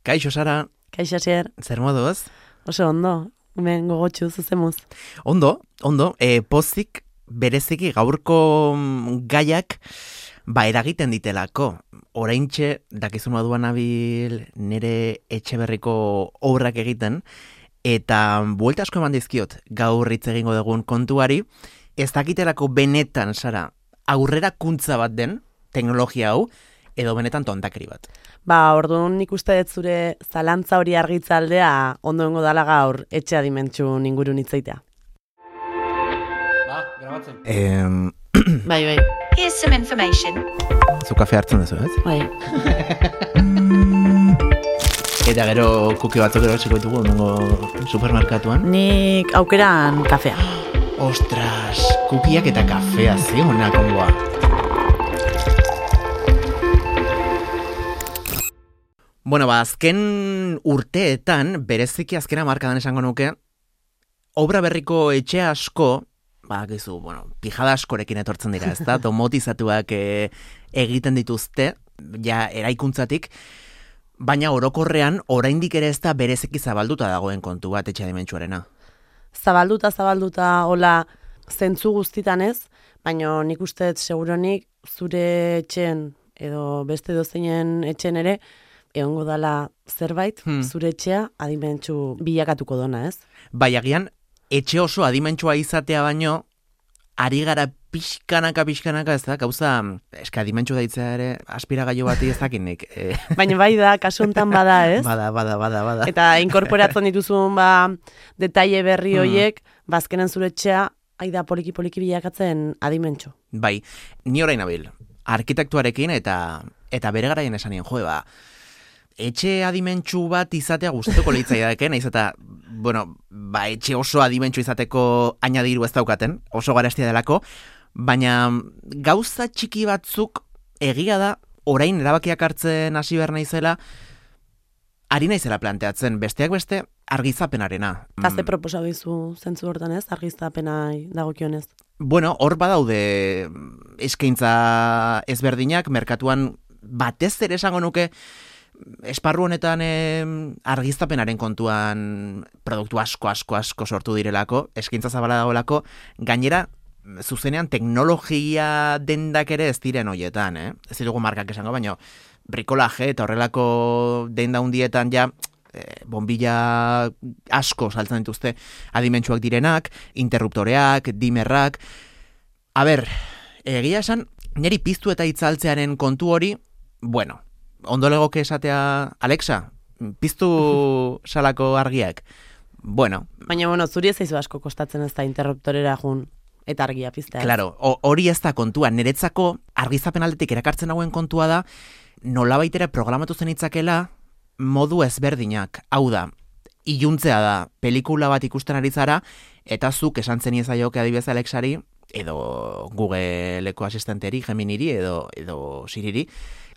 Kaixo, Sara. Kaixo, Asier. Zer moduz? Oso ondo, hemen gogotxu zuzemuz. Ondo. Pozik bereziki gaurko gaiak eragiten ditelako. Oraintxe, dakizun moduan nabil nire Etxeberriko obrak egiten, eta buelta asko eman dizkiot gaur hitz egingo dugun kontuari, ez dakitelako benetan, Sara, aurrerakuntza bat den teknologia hau, edo benetan tontakeri bat. Orduan nik uste dut zure zalantza hori argitzaldea ondoengo dala gaur etxe adimentsu ingurun hitzaitea. Grabatzen. Bai. Here's some information. Zu kafe hartzen duzu, ez? Bai. Eta gero kuki batzuk erosiko ditugu ondoengo supermerkatuan. Nik aukeran kafea. Ostras, kukiak eta kafea zionak ongoa. Bueno, azken urteetan, bereziki azkena markadan esango nuke, obra berriko etxe asko, pijada askorekin etortzen dira, ezta? Domotizatuak egiten dituzte, ja eraikuntzatik, baina orokorrean, oraindik ere ez da bereziki zabalduta dagoen kontu bat etxe adimentsuarena. Zabalduta, hola, zentzu guztitan ez, baina nik uste seguronik zure etxen, edo beste dozeinen etxen ere, egongo dala zerbait, zure etxea adimentsu bilakatuko dona, ez? Bai, agian, etxe oso adimentsua izatea baino, ari gara pixkanaka, ez da, gauza, eska adimentsu daitzea ere, aspiragailu bati ez dakinik. Baina bai da, kasu honetan bada, ez? Bada. Eta inkorporatzen dituzun, detaile berri hoiek, azkenen zure etxea, aida poliki bilakatzen adimentsu. Bai, ni orain nabil, arkitektuarekin eta bere garaien esanien, etxe adimentsu bat izatea gustatuko litzaiake, naiz eta, etxe oso adimentsu izateko añadiru ez daukaten, oso garestia delako, baina gauza txiki batzuk egia da, orain erabakiak hartzen hasi behar naizela, ari naizela planteatzen, besteak beste, argizapenarena. Ze proposa bizu zentzu hortan ez, argizapenai dagokionez? Hor badaude eskaintza ezberdinak, merkatuan batez ere esango nuke, esparru honetan argiztapenaren kontuan produktu asko sortu direlako, eskaintza zabala dagoelako, gainera, zuzenean teknologia dendak ere ez diren hoietan, ez dugu markak esango, baina brikolaje eta horrelako denda hundietan ja, bombilla asko saltzen dituzte adimentsuak direnak, interruptoreak, dimerrak. Egia esan, niri piztu eta itzaltzearen kontu hori, ondo legoke esatea, Alexa, piztu salako argiak. Baina, zuri ez zaizu asko kostatzen ez da interruptorera jun eta argia piztea. Claro, hori ez da kontua. Niretzako argizapen aldetik erakartzen hauen kontua da, nolabait ere programatu zen itzakela modu ezberdinak. Hau da, iluntzea da, pelikula bat ikusten ari zara, eta zuk esan zen iezaioke adibidez Alexari, edo Googleko asistenteri, Geminiri, edo Siriri,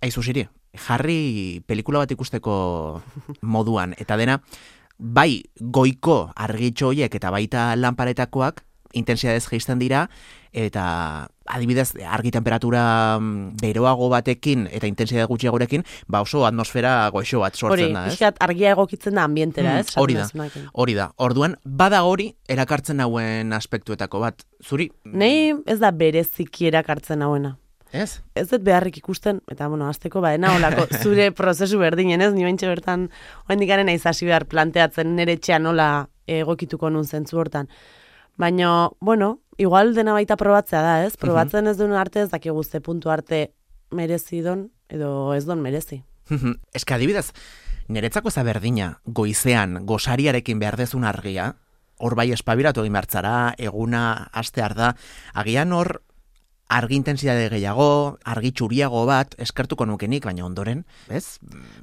aizu Siri, jarri pelikula bat ikusteko moduan, eta dena, bai goiko argitxo horiek eta baita lanparetakoak intensidadez jaisten dira, eta adibidez argi temperatura beroago batekin eta intensidade gutxiagorekin, oso atmosfera goixo bat sortzen da, ez? Hori, argia egokitzen da ambientera, ez? Hori da. Orduan, bada hori erakartzen hauen aspektuetako bat. Zuri? Nei ez da bereziki erakartzen hauena. Ez? Ez dut beharrik ikusten, eta azteko olako zure prozesu berdinen, ez? Ni baintxe bertan, oraindik garen naiz hasi behar planteatzen nire etxean nola egokituko nun zentzu hortan. Baina, igual dena baita probatzea da, ez? Probatzen ez duen arte ez dakigu ze puntu arte merezi don, edo ez don merezi. Ez adibidez, niretzako ez da berdina, goizean, gosariarekin behar dezun argia, hor bai espabiratu egin behartzara, eguna astear da, agian hor argi intensidade gehiago, argi txuriago bat, eskertuko nukenik, baina ondoren, ez?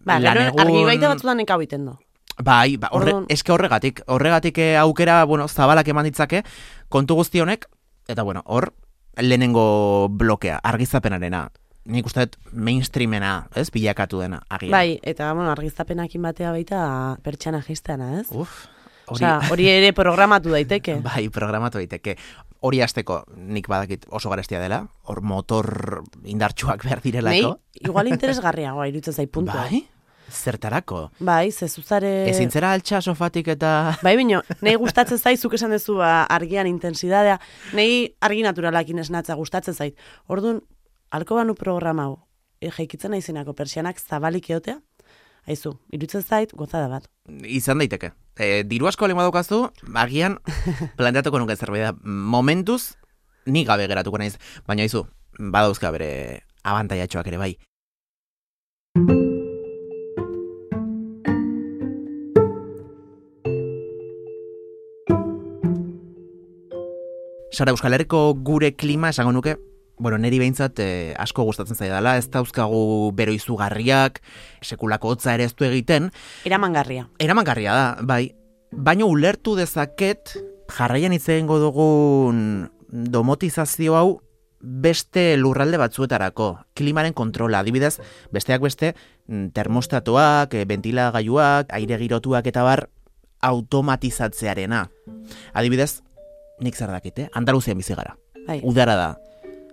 Argi baita batzutan ekau iten do. Bai, eske horregatik aukera, zabalak eman ditzake, kontu guzti honek, eta hor, lehenengo blokea, argizapenarena, nik uste dut mainstreamena, ez, bilakatu dena, agian. Bai, eta argizapenakin batea baita pertsana jizteana, ez? Hori ere programatu daiteke. Bai, programatu daiteke. Hori hasteko nik badakit oso garestia dela, hor motor indartsuak behar direlako. Igual interesgarriagoa iruditzen zait puntua. Bai? Zertarako? Bai, zezuzare... Ezin zera altxa sofatik eta... Bai, bino, nahi gustatzen zait, zuk esan dezu argian intentsidadea, nahi argi naturalakin esnatza gustatzen zait. Orduan, alko banu programa hau, jaikitzen naizenako persianak zabalik eotea, haizu, iruditzen zait, gozada bat. Izan daiteke. Diru asko lehen badaukazu, agian planteatuko nuke zerbait da. Momentuz, ni gabe geratuko naiz. Baina haizu, badauzka bere abantaiatxoak ere bai. Sara, Euskal Herriko gure klima esango nuke, niri behintzat asko gustatzen zaidala, ez dauzkagu bero izugarriak, sekulako hotza ere ez du egiten. Eramangarria. Eramangarria da, bai. Baina ulertu dezaket, jarraian hitz egingo dugun domotizazio hau beste lurralde batzuetarako. Klimaren kontrola, adibidez, besteak beste, termostatoak, ventilagailuak, aire girotuak eta bar, automatizatzearena. Adibidez, nik zer dakite, Andaluzian bizi gara. Bai. Udara da.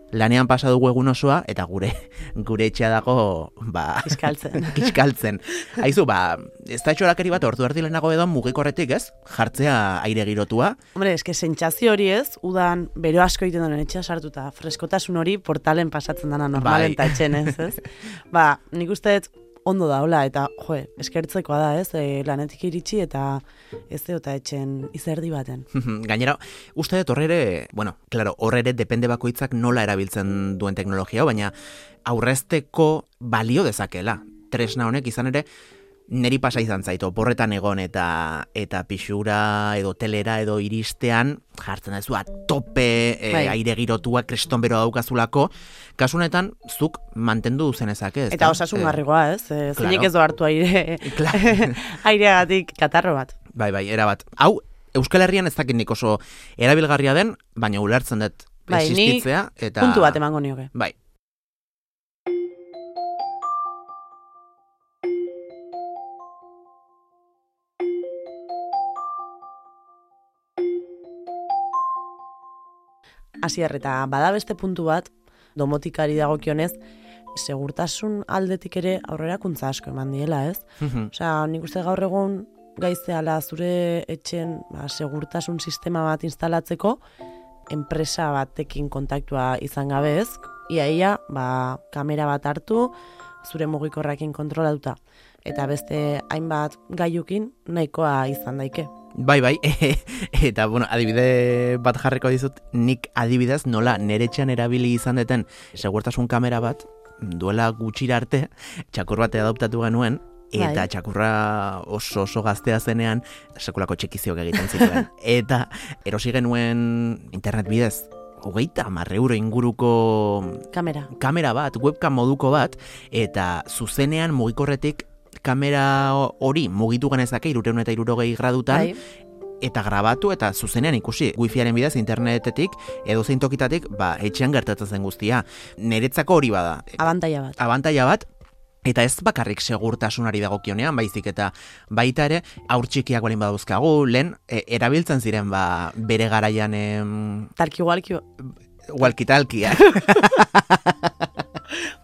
Lanean pasa dugu egun osoa, eta gure etxea dago, kiskaltzen. Haizu, ez da etxorakeri bat ordu erdi lehenago edo mugikorretik, ez? Jartzea aire girotua. Hombre, eske sentsazio hori ez, udan bero asko egiten duen etxea sartuta, freskotasun hori portalen pasatzen dana normalen ta etxen ez? Nik uste ondo da, hola, eta, eskertzekoa da, ez, lanetik iritsi eta ez eta etxen izerdi baten. Gainera, uste dut horre ere depende bakoitzak nola erabiltzen duen teknologia, baina aurrezteko balio dezakela. Tresna honek izan ere, neri pasa izan zait, oporretan egon eta pixura edo telera edo iristean, jartzen da a tope aire girotua kriston bero daukazulako, kasunetan zuk mantendu duzenezak ez. Eta osasun garrigoa ez, zeinek ez do hartu aireagatik katarro bat. Bai, erabat. Hau, Euskal Herrian ez dakit nik oso erabilgarria den, baina ulertzen dut existitzea. Eta puntu bat emango nioke. Bai. Asier, eta bada beste puntu bat, domotikari dagokionez, segurtasun aldetik ere aurrerakuntza asko eman diela, ez? Osea, nik uste gaur egun gaizeala zure etxen segurtasun sistema bat instalatzeko, enpresa batekin kontaktua izan gabe ez, ia, kamera bat hartu, zure mugikorrakin kontrolatuta. Eta beste hainbat gailukin nahikoa izan daike. Bai, eta adibide bat jarriko dizut, nik adibidez nola nere etxean erabili izan deten segurtasun kamera bat, duela gutxira arte, txakur bat adoptatu genuen, eta txakurra oso gaztea zenean, sekulako txekizioak egiten zituen. Eta erosi genuen internet bidez, 30 euro inguruko kamera bat, webcam moduko bat, eta zuzenean mugikorretik kamera hori mugitu genezake 360 gradutan, eta grabatu eta zuzenean ikusi wifiaren bidez internetetik edo zein tokitatik etxean gertatzen zen guztia. Niretzako hori bada. Abantaila bat. Eta ez bakarrik segurtasunari dagokionean, baizik eta baita ere haur txikiak balin badauzkagu, lehen erabiltzen ziren bere garaian walkie-talkiak.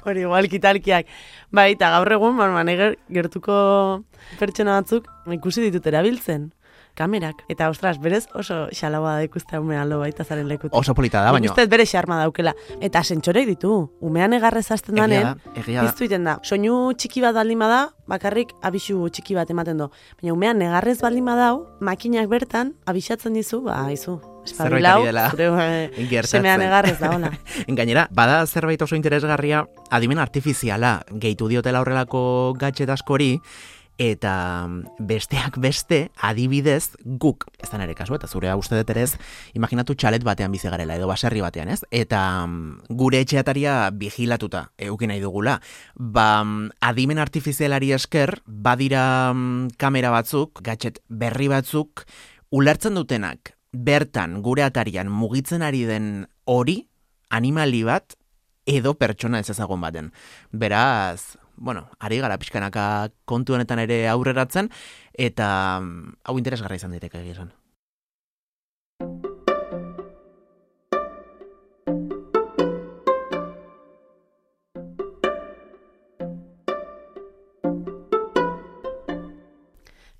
Hori, walkie-talkiak. Bai, eta gaur egun, gertuko pertsona batzuk ikusi ditut erabiltzen. Kamerak. Eta, ostras, berez oso xalagoa da ikustea umean lo baita zaren lekutik. Oso polita da, baina. Ustez bere xarma daukela. Eta sentsorek ditu. Umean egarrez azten danen, piztu iten da. Soinu txiki bat baldin bada, bakarrik abisu txiki bat ematen do. Baina umean egarrez baldin badau, makinak bertan, abixatzen dizu, izu. Espabilau, zure semean egarrez da, hola. Gainera, bada zerbait oso interesgarria, adimen artifiziala gehitu diotela horrelako gadget askori, eta besteak beste, adibidez, guk, ez da nire kasu, eta zure uste dut ere ez, imaginatu txalet batean bizi garela, edo baserri batean, ez? Eta gure etxeataria vigilatuta eukin nahi dugula. Adimen artifizialari esker, badira kamera batzuk, gadget berri batzuk, ulertzen dutenak, bertan gure atarian mugitzen ari den hori, animali bat, edo pertsona ez ezagun baten. Beraz, ari gara pixkanaka kontu honetan ere aurreratzen, eta hau interesgarra izan daiteke egia esan.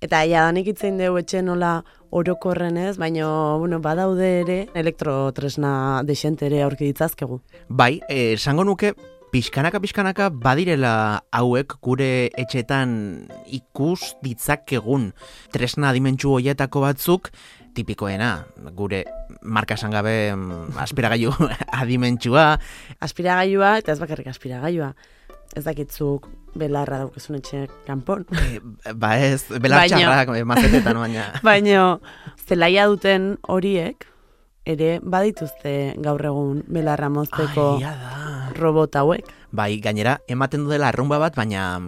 Eta jadanik itzein dugu etxe nola orokorren ez, baina bueno, badaude ere elektrotresna desente ere aurki ditzazkegu. Bai, esango nuke, pixkanaka badirela hauek gure etxetan ikus ditzakegun tresna adimentsu hoietako batzuk, tipikoena, gure marka esan gabe aspiragailu adimentsua. Aspiragailua, eta ez bakarrik aspiragailua. Ez dakitzuk belarra daukezun etxe kanpon. Ba ez, belar txarrak, mazetetan baina. Baina zelaia duten horiek, ere badituzte gaur egun belarra mozteko robot hauek. Bai, gainera, ematen du dela arrumba bat, baina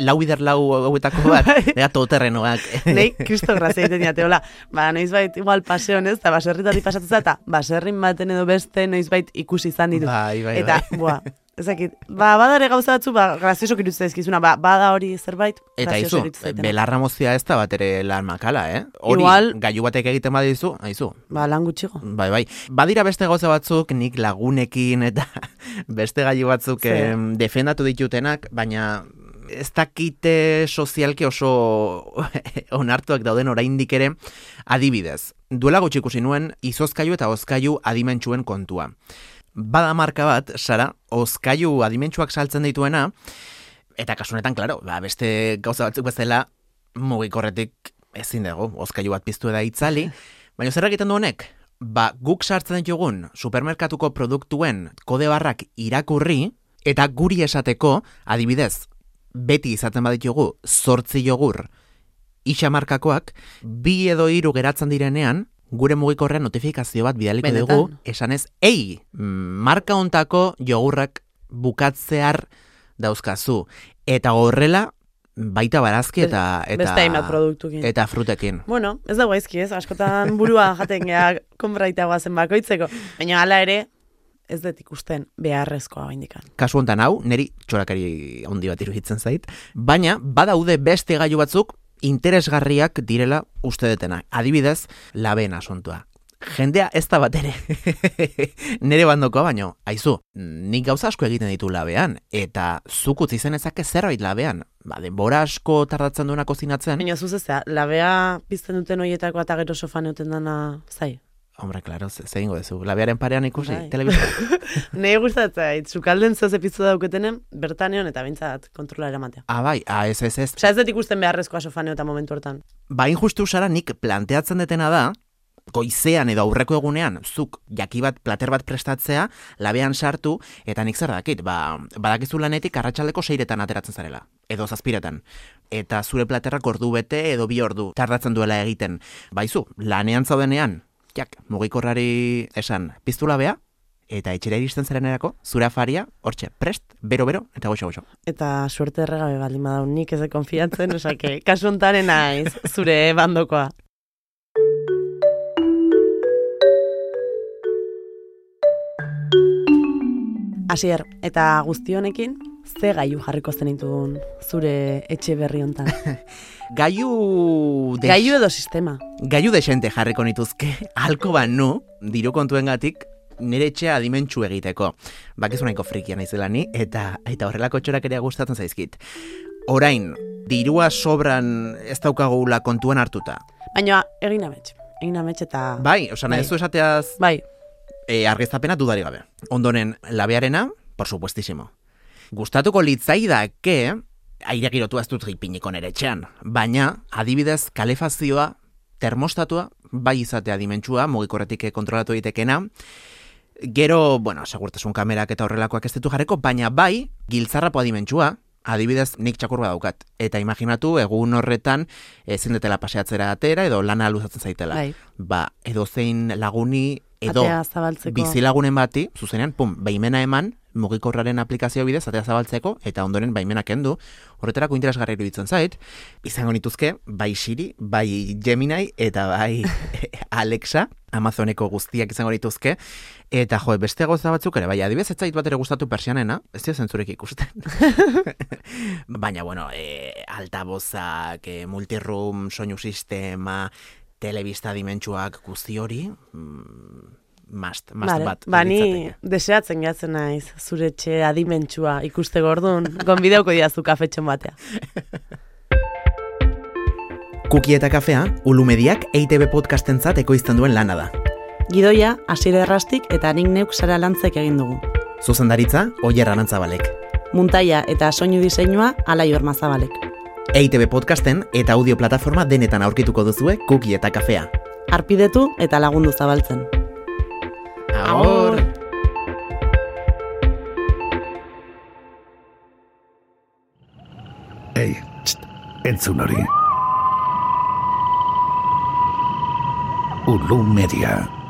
lau bider hauetako bat, ega todoterrenoak. Nei, kristo grazia egiten diate, hola, noizbait igual paseon ez, eta baserritatik pasatzen eta baserrin baten edo beste noizbait ikusi izan ditu. Bai. Eta, ezakit, badare gauza batzu, grazioso kirutzen ezkizuna, bada hori zerbait, eta izu, belarra mozia ez da bat ere lan makala, Hori, igual, gailu batek egiten badizu, haizu. Lan gutxigo. Bai. Badira beste gauza batzuk, nik lagunekin eta beste gailu batzuk defendatu ditutenak, baina ez dakite sozialki oso onartuak dauden oraindik ere, adibidez. Duela gutxi ikusi nuen, izozkailu eta hozkailu adimentsuen kontua. Bada marka bat, Sara, hozkailu adimentsuak saltzen dituena, eta kasunetan, klaro, beste gauza batzuk bezala mugikorretik ezin dago, hozkailu bat piztu da itzali, baina zer egiten du honek? Guk sartzen ditugun supermerkatuko produktuen kode barrak irakurri, eta guri esateko, adibidez, beti izaten baditugu 8 jogur isamarkakoak, 2 edo 3 geratzen direnean, gure mugikorrean notifikazio bat bidaliko dugu, esanez, marka hontako jogurrak bukatzear dauzkazu. Eta horrela, baita barazki eta frutekin. Bueno, ez dago aizki ez, askotan burua jaten geha konbraitagoa zen bakoitzeko. Baina hala ere, ez dut ikusten beharrezkoa baindikan. Kasu hontan hau, niri txorakari handi bat iruditzen zait, baina badaude beste gailu batzuk interesgarriak direla uste detena. Adibidez, labeen asuntua. Jendea ez da bat ere. Nere bandokoa baino, aizu, nik gauza asko egiten ditu labean, eta zuk utzi zen ezake zerbait labean. Denbora asko tardatzen duena kozinatzen. Baina zuzezea, labea pizten duten horietako eta gero sofan euten dana zai. Hombre, klaro, zehingo dezu. Labearen parean ikusi, telebizta. Nei gustatzen, zukalden zoz epizu dauketenen, bertaneon eta bintzat kontrola eramatea. Bai, ez. Osa ez dut ikusten beharrezkoa sofaneo eta momentu hortan. Injustu Sara, nik planteatzen detena da, goizean edo aurreko egunean, zuk jaki bat, plater bat prestatzea, labean sartu, eta nik zer dakit, badakizu lanetik arratsaldeko 6etan ateratzen zarela, edo 7etan. Eta zure platerrak ordu bete edo 2 ordu tardatzen duela egiten. Baizu, lanean zaudenean, mugikorrari esan, piztu labea, eta etxera iristen zarenerako, zure afaria, hortxe, prest, bero, eta goxo. Eta suerte erregabe baldin badau, nik ez de konfiatzen, osake, kasu hontaren naiz, zure bandokoa. Asier, eta guzti honekin, ze gailu jarriko zenitun zure etxe berri hontan? Gailu edo sistema. Gailu desente jarriko nituzke, halko banu, diru kontuengatik, nire etxea adimentsu egiteko. Bakizu nahiko frikia naizela ni, eta horrelako txorak ere gustatzen zaizkit. Orain, dirua sobran ez daukagula kontuan hartuta. Baina, egin amets eta... Bai, nahi ez du esateaz... Bai. Argiztapena dudari gabe. Ondoren, labearena, por supuestísimo. Gustatuko litzaidake, aire girotua ez dut gipiniko nere etxean, baina, adibidez, kalefazioa, termostatua, bai izatea dimentsua, mugikorretik kontrolatu ditekena, gero, segurtasun kamerak eta horrelakoak ez ditu jarreko, baina bai, giltzarrapoa dimentsua, adibidez, nik txakurba daukat. Eta imaginatu, egun horretan, ezin detela paseatzera atera, edo lana luzatzen zaitela. Bai. Edo zein laguni, edo bizilagunen bati, zuzenean, baimena eman, mugikorraren aplikazio bidez, atea zabaltzeko, eta ondoren baimena kendu, horretarako interesgarri iruditzen zait, izango nituzke, bai Siri, bai Gemini, eta bai Alexa, Amazoneko guztiak izango nituzke, eta beste gauza batzuk ere, bai, adibidez, ez zait bat ere gustatu persianena, ez dio zentzurek ikusten. Baina, altabozak, multiroom, soinu sistema, telebista dimentsuak guzti hori, must bat. Ni deseatzen gehatzen naiz, zure etxe adimentsua ikuste gordun, gonbideuko diazu kafetxon batea. Kuki eta kafea, Ulumediak EITB podcastentzat ekoizten duen lana da. Gidoia, Asier Errastik eta nik neuk Sara Lantzek egin dugu. Zuzendaritza, Oier Arantzabalek. Muntaia eta soinu diseinua, Alai Ormazabalek. EITB podcasten eta audio plataforma denetan aurkituko duzue Kuki eta kafea. Arpidetu eta lagundu zabaltzen. Agur! Ei, entzun hori. Ulu Media.